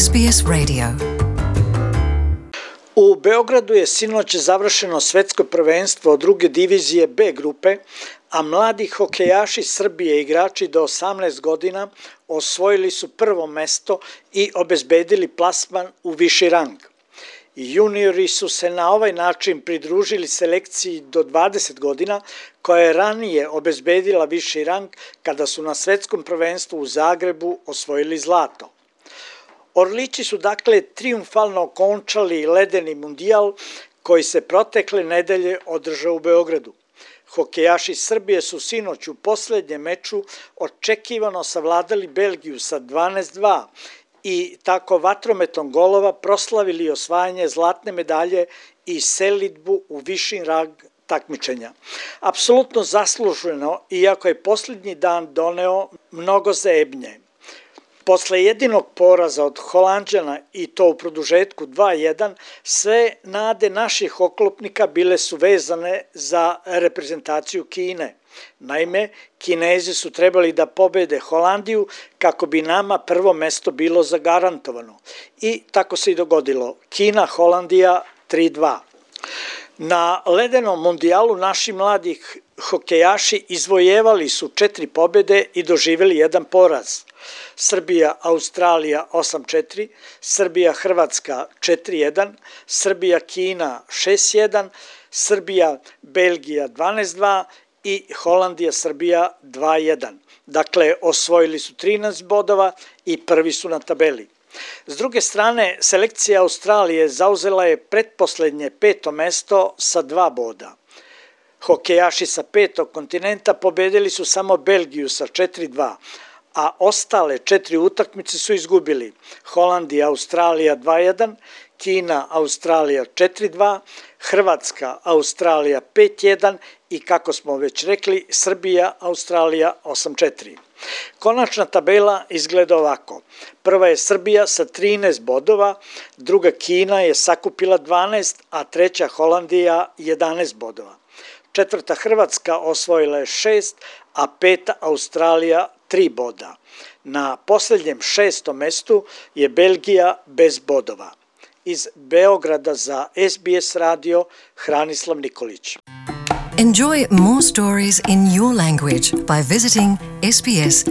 SBS Radio. U Beogradu je sinoć završeno svetsko prvenstvo druge divizije B grupe, a mladi hokejaši Srbije, igrači do 18 godina, osvojili su prvo mesto i obezbedili plasman u viši rang. Juniori su se na ovaj način pridružili selekciji do 20 godina, koja je ranije obezbedila viši rang kada su na svetskom prvenstvu u Zagrebu osvojili zlato. Orlići su dakle trijumfalno okončali ledeni mundijal koji se protekle nedelje održao u Beogradu. Hokejaši Srbije su sinoć u poslednjem meču očekivano savladali Belgiju sa 12:2 i tako vatrometom golova proslavili osvajanje zlatne medalje i selidbu u viši rang takmičenja. Apsolutno zasluženo, iako je posljednji dan doneo mnogo zebnje. Posle jedinog poraza od Holanđana i to u produžetku 2:1, sve nade naših oklopnika bile su vezane za reprezentaciju Kine. Naime, Kinezi su trebali da pobede Holandiju kako bi nama prvo mesto bilo zagarantovano. I tako se i dogodilo. Kina, Holandija 3:2. Na ledenom mundijalu naši mladi hokejaši izvojevali su 4 pobede i doživjeli jedan poraz. Srbija, Australija 8:4, Srbija, Hrvatska 4:1, Srbija, Kina 6:1, Srbija, Belgija 12:2 i Holandija, Srbija 2:1. Dakle, osvojili su 13 bodova i prvi su na tabeli. S druge strane, selekcija Australije zauzela je pretposlednje 5. mesto sa 2 boda. Hokejaši sa 5. kontinenta pobedili su samo Belgiju sa 4:2, a ostale 4 utakmice su izgubili. Holandija, Australija 2:1, Kina, Australija 4:2, Hrvatska, Australija 5:1 i, kako smo već rekli, Srbija, Australija 8:4. Konačna tabela izgleda ovako. Prva je Srbija sa 13 bodova, druga Kina je sakupila 12, a treća Holandija 11 bodova. Četvrta Hrvatska osvojila je 6, a peta Australija 3 boda. Na posljednjem 6. mestu je Belgija bez bodova. Iz Beograda za SBS radio, Hranislav Nikolić. Enjoy more stories in your language by visiting sbs.com.au.